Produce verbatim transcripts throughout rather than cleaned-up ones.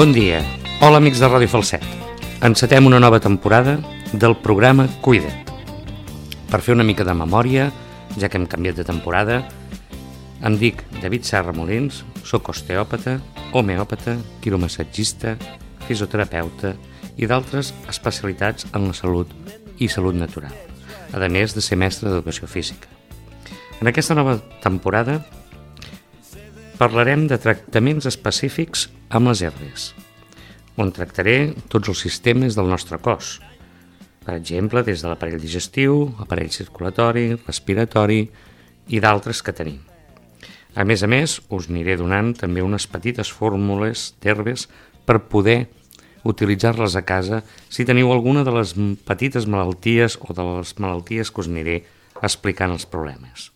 Bon dia. Hola, amics de Ràdio Falset. Encetem una nova temporada del programa Cuida't. Per fer una mica de memòria, ja que hem canviat de temporada, em dic David Serra Molins, soc osteòpata, homeòpata, quiromassatgista, fisioterapeuta i d'altres especialitats en la salut i salut natural, a més de ser mestre d'educació física. En aquesta nova temporada parlarem de tractaments específics amb les herbes, on tractaré tots els sistemes del nostre cos, per exemple, des de l'aparell digestiu, aparell circulatori, respiratori i d'altres que tenim. A més a més, us aniré donant també unes petites fórmules d'herbes per poder utilitzar-les a casa si teniu alguna de les petites malalties o de les malalties que us aniré explicant els problemes.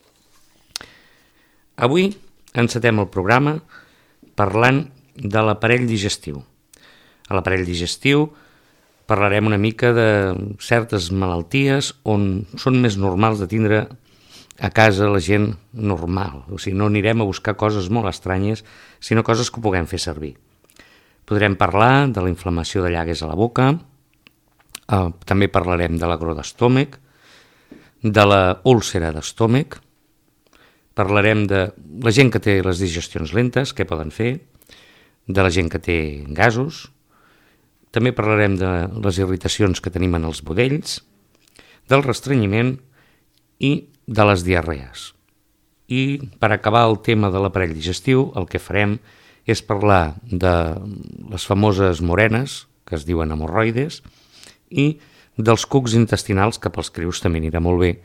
Avui encetem el programa parlant de l'aparell digestiu. A l'aparell digestiu parlarem una mica de certes malalties on són més normals de tindre a casa la gent normal. O sigui, no anirem a buscar coses molt estranyes, sinó coses que puguem fer servir. Podrem parlar de la inflamació de llagues a la boca, eh, també parlarem de l'agró d'estómac, de la úlcera d'estómac, parlarem de la gent que té les digestions lentes, què poden fer, de la gent que té gasos, també parlarem de les irritacions que tenim en els budells, del restrenyiment i de les diarrees. I per acabar el tema de l'aparell digestiu, el que farem és parlar de les famoses morenes, que es diuen hemorroides, i dels cucs intestinals, que pels crius també anirà molt bé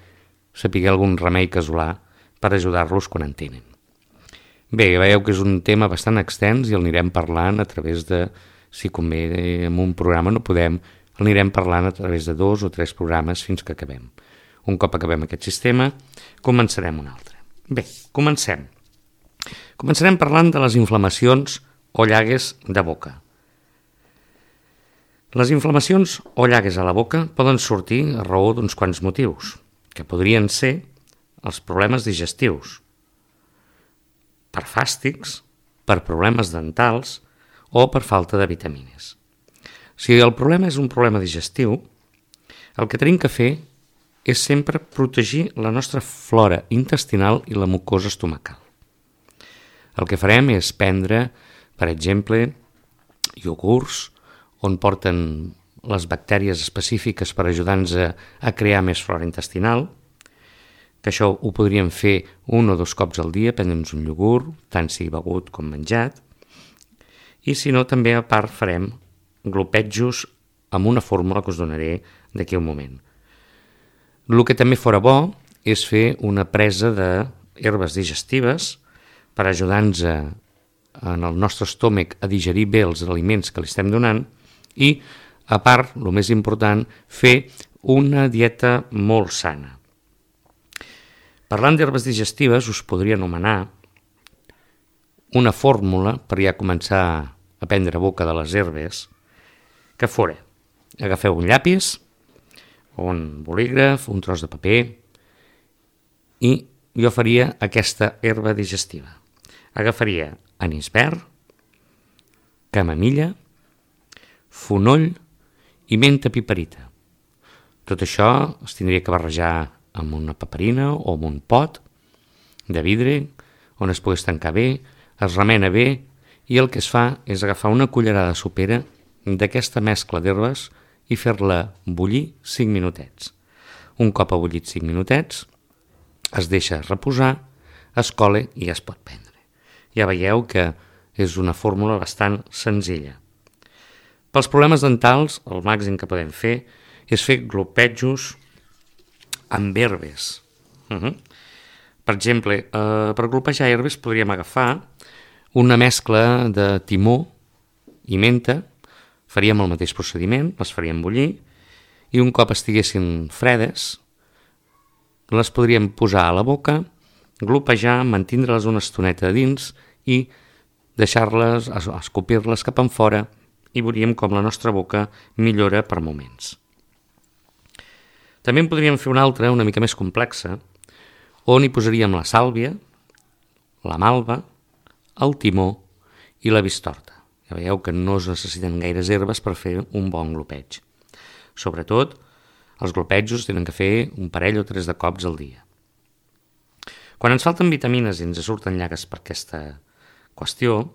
saber algun remei casolà per ajudar-los quan en tenen. Bé, veieu que és un tema bastant extens i el anirem parlant a través de, si convé en un programa no podem, el anirem parlant a través de dos o tres programes fins que acabem. Un cop acabem aquest sistema, començarem un altre. Bé, comencem. Començarem parlant de les inflamacions o llagues de boca. Les inflamacions o llagues a la boca poden sortir a raó d'uns quants motius, que podrien ser els problemes digestius, per fàstics, per problemes dentals o per falta de vitamines. Si el problema és un problema digestiu, el que tenim que fer és sempre protegir la nostra flora intestinal i la mucosa estomacal. El que farem és prendre, per exemple, iogurts on porten les bactèries específiques per ajudar-nos a, a crear més flora intestinal, que això ho podríem fer un o dos cops al dia, prendre'ns un iogurt, tant sigui begut com menjat, i si no també a part farem glopetjos amb una fórmula que us donaré d'aquí a un moment. El que també fora bo és fer una presa d'herbes digestives per ajudar-nos a, en el nostre estómac a digerir bé els aliments que li estem donant i, a part, el més important, fer una dieta molt sana. Parlant d'herbes digestives, us podria anomenar una fórmula per ja començar a prendre boca de les herbes, que fora, agafeu un llapis, un bolígraf, un tros de paper, i jo faria aquesta herba digestiva. Agafaria anís verd, camamilla, fonoll i menta piperita. Tot això es tindria que barrejar amb una paperina o amb un pot de vidre on es pogués tancar bé, es remena bé i el que es fa és agafar una cullerada sopera d'aquesta mescla d'herbes i fer-la bullir cinc minutets. Un cop ha bullit cinc minutets, es deixa reposar, es cola i ja es pot prendre. Ja veieu que és una fórmula bastant senzilla. Pels problemes dentals, el màxim que podem fer és fer glopetjos amb herbes. Uh-huh. Per exemple, eh, per glopejar herbes podríem agafar una mescla de timó i menta, faríem el mateix procediment, les faríem bullir, i un cop estiguessin fredes, les podríem posar a la boca, glopejar, mantindre-les una estoneta a dins i deixar-les, escopir-les cap enfora i veuríem com la nostra boca millora per moments. També en podríem fer una altra, una mica més complexa, on hi posaríem la sàlvia, la malva, el timó i la bistorta. Ja veieu que no es necessiten gaires herbes per fer un bon glopeig. Sobretot, els glopetjos tenen que fer un parell o tres de cops al dia. Quan ens falten vitamines i ens surten llagues per aquesta qüestió,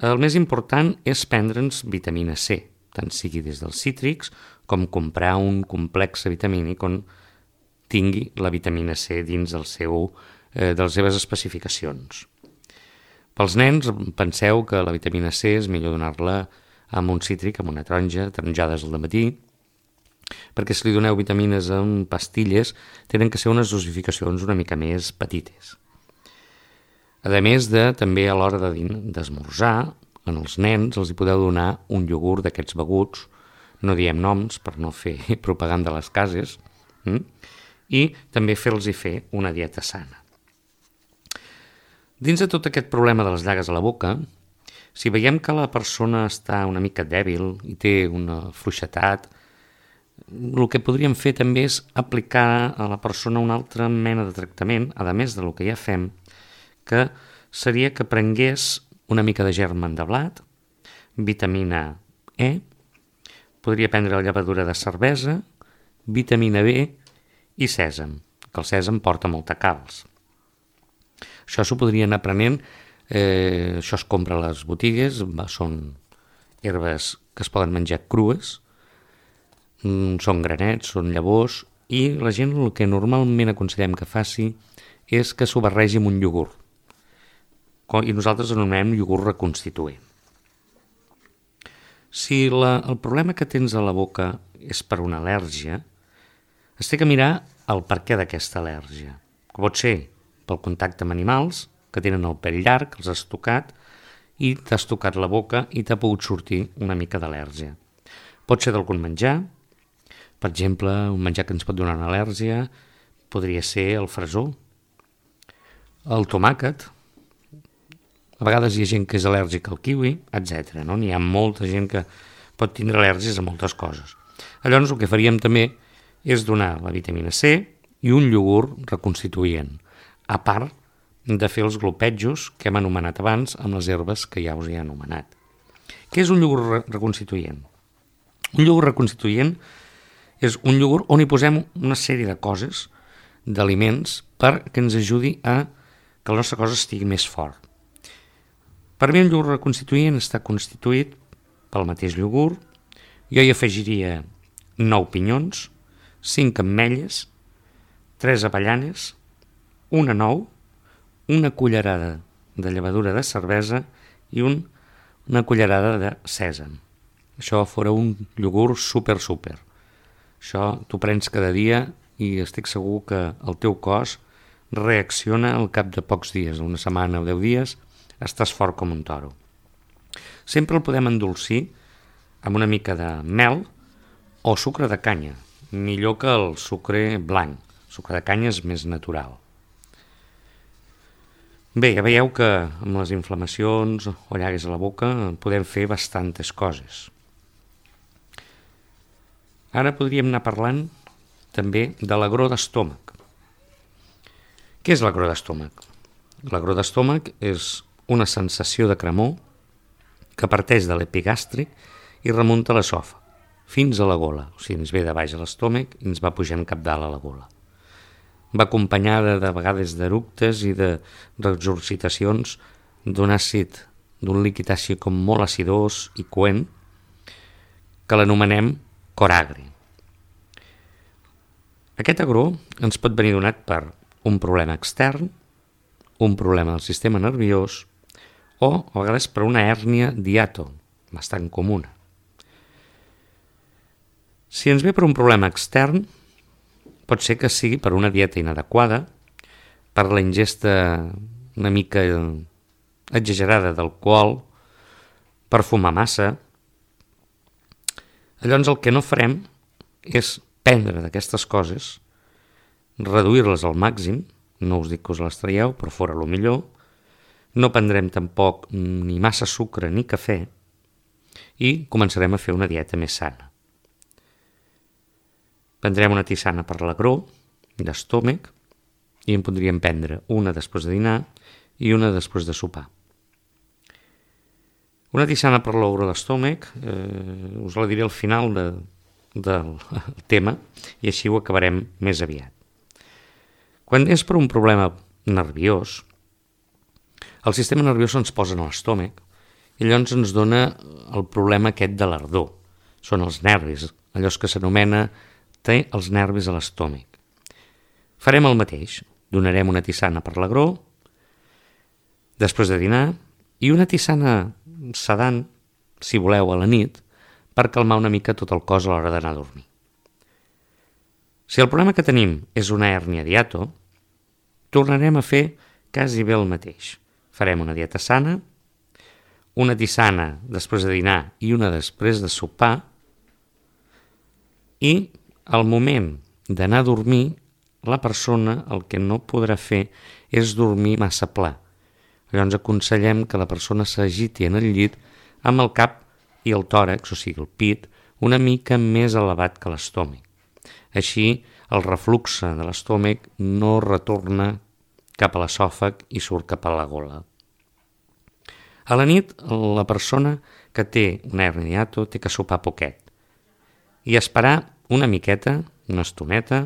el més important és prendre'ns vitamina C, tant sigui des dels cítrics com comprar un complex vitamínic on tingui la vitamina C dins del seu, eh, de les seves especificacions. Pels nens, penseu que la vitamina C és millor donar-la amb un cítric, amb una taronja, taronjades al matí, perquè si li doneu vitamines en pastilles, tenen que ser unes dosificacions una mica més petites. A més de, també a l'hora de d'esmorzar, en els nens els hi podeu donar un iogurt d'aquests beguts, no diem noms per no fer propaganda a les cases, hm? I també fer-los fer una dieta sana. Dins de tot aquest problema de les llagues a la boca, si veiem que la persona està una mica dèbil i té una fluixetat, el que podríem fer també és aplicar a la persona una altra mena de tractament, a més del que ja fem, que seria que prengués una mica de germen de blat, vitamina E, podria prendre la llevadura de cervesa, vitamina B i sèsam, que el sèsam porta molta calç. Això s'ho podria anar prenent, eh, això es compra a les botigues, són herbes que es poden menjar crues, són granets, són llavors, i la gent el que normalment aconsellem que faci és que s'ho barregi amb un iogurt. I nosaltres anomenem iogurt reconstituent. Si la, el problema que tens a la boca és per una al·lèrgia, es té que mirar el perquè d'aquesta al·lèrgia. Que pot ser pel contacte amb animals, que tenen el pèl llarg, els has tocat, i t'has tocat la boca i t'ha pogut sortir una mica d'al·lèrgia. Pot ser d'algun menjar, per exemple, un menjar que ens pot donar una al·lèrgia podria ser el fresó, el tomàquet, a vegades hi ha gent que és al·lèrgica al kiwi, etcètera. No? N'hi ha molta gent que pot tindre al·lèrgies a moltes coses. Llavors el que faríem també és donar la vitamina C i un iogurt reconstituent, a part de fer els glopetjos que hem anomenat abans amb les herbes que ja us he anomenat. Què és un iogurt reconstituent? Un iogurt reconstituent és un iogurt on hi posem una sèrie de coses, d'aliments, perquè ens ajudi a que el nostre cos estigui més fort. Per mi el iogurt reconstituent està constituït pel mateix iogurt. Jo hi afegiria nou pinyons, cinc ametlles, tres avellanes, una nou, una cullerada de llevadura de cervesa i un, una cullerada de sèsam. Això fora un iogurt super, super. Això t'ho prens cada dia i estic segur que el teu cos reacciona al cap de pocs dies, una setmana o deu dies, estàs fort com un toro. Sempre el podem endolcir amb una mica de mel o sucre de canya, millor que el sucre blanc. El sucre de canya és més natural. Bé, ja veieu que amb les inflamacions o llagues a la boca podem fer bastantes coses. Ara podríem anar parlant també de l'agró d'estómac. Què és l'agró d'estómac? L'agró d'estómac és una sensació de cremor que parteix de l'epigàstric i remunta a l'esòfag, fins a la gola. O sigui, ens ve de baix a l'estómac i ens va pujant cap dalt a la gola. Va acompanyada de vegades d'eructes i de regurgitacions d'un àcid, d'un líquid àcid com molt acidós i coent, que l'anomenem coragri. Aquest agró ens pot venir donat per un problema extern, un problema del sistema nerviós o a vegades per una hèrnia d'hiato, bastant comuna. Si ens ve per un problema extern, pot ser que sigui per una dieta inadequada, per la ingesta una mica exagerada d'alcohol, per fumar massa. Llavors el que no farem és prendre d'aquestes coses, reduir-les al màxim, no us dic que us les traieu, però fora el millor, no prendrem tampoc ni massa sucre ni cafè i començarem a fer una dieta més sana. Prendrem una tisana per l'agró d'estómac i en podríem prendre una després de dinar i una després de sopar. Una tisana per l'olor de l'estómac, eh, us la diré al final de, del tema i així ho acabarem més aviat. Quan és per un problema nerviós, el sistema nerviós ens posa en l'estómac i llavors ens dona el problema aquest de l'ardor. Són els nervis, allò que s'anomena té els nervis a l'estómac. Farem el mateix, donarem una tisana per l'agró, després de dinar, i una tisana sedant, si voleu, a la nit, per calmar una mica tot el cos a l'hora d'anar a dormir. Si el problema que tenim és una hèrnia d'hiato, tornarem a fer quasi bé el mateix. Farem una dieta sana, una tisana després de dinar i una després de sopar, i al moment d'anar a dormir, la persona el que no podrà fer és dormir massa pla. Llavors aconsellem que la persona s'agiti en el llit amb el cap i el tòrax, o sigui el pit, una mica més elevat que l'estómac. Així el reflux de l'estómac no retorna cap a l'esòfag i surt cap a la gola. A la nit, la persona que té una hèrnia d'hiato té que sopar poquet i esperar una miqueta, una estoneta,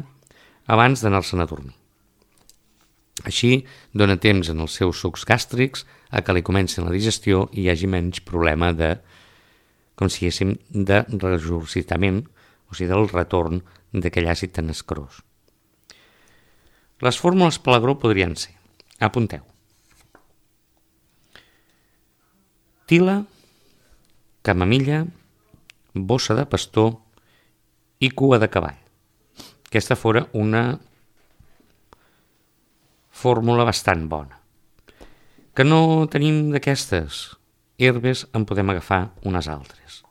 abans d'anar-se'n a dormir. Així dona temps en els seus sucs gàstrics a que li comencin la digestió i hi hagi menys problema de, com si diguéssim, de regurgitament, o sigui, del retorn d'aquell àcid tan escarós. Les fórmules per l'agró podrien ser, apunteu, tila, camamilla, bossa de pastor i cua de cavall. Aquesta fora una fórmula bastant bona. Que no tenim d'aquestes herbes, en podem agafar unes altres.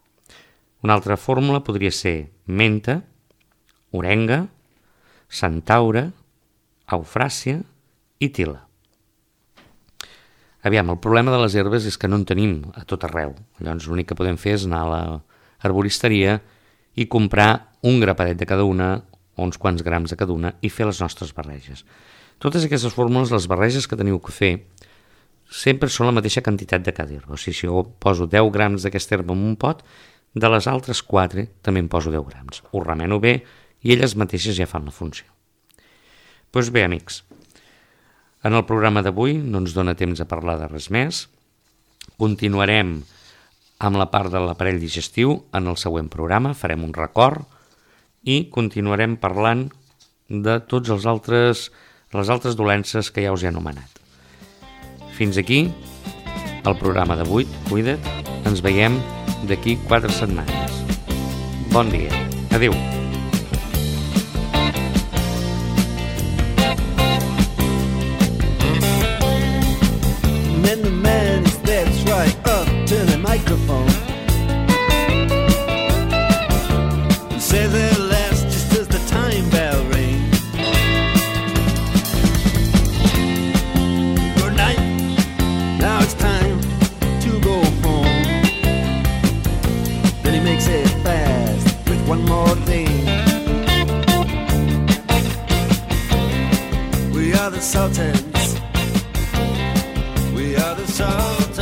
Una altra fórmula podria ser menta, orenga, centaure, eufràsia i tila. Aviam, el problema de les herbes és que no en tenim a tot arreu. Llavors l'únic que podem fer és anar a l'arboristeria i comprar un grapadet de cada una o uns quants grams de cada una i fer les nostres barreges. Totes aquestes fórmules, les barreges que teniu que fer, sempre són la mateixa quantitat de cada herba. O sigui, si jo poso deu grams d'aquesta herba en un pot, de les altres quatre també en poso deu grams. Ho remeno bé i elles mateixes ja fan la funció. Doncs bé, amics, en el programa d'avui no ens dona temps a parlar de res més. Continuarem amb la part de l'aparell digestiu en el següent programa, farem un record i continuarem parlant de tots els altres les altres dolences que ja us he anomenat. Fins aquí el programa d'avui. Cuida't, ens veiem d'aquí quatre setmanes. Bon dia. Adéu. Then the man steps right up to the microphone and says at last, just as the time bell rings, now it's time to go home. Then he makes it fast with one more thing. We are the Sultans. We are the Sultans.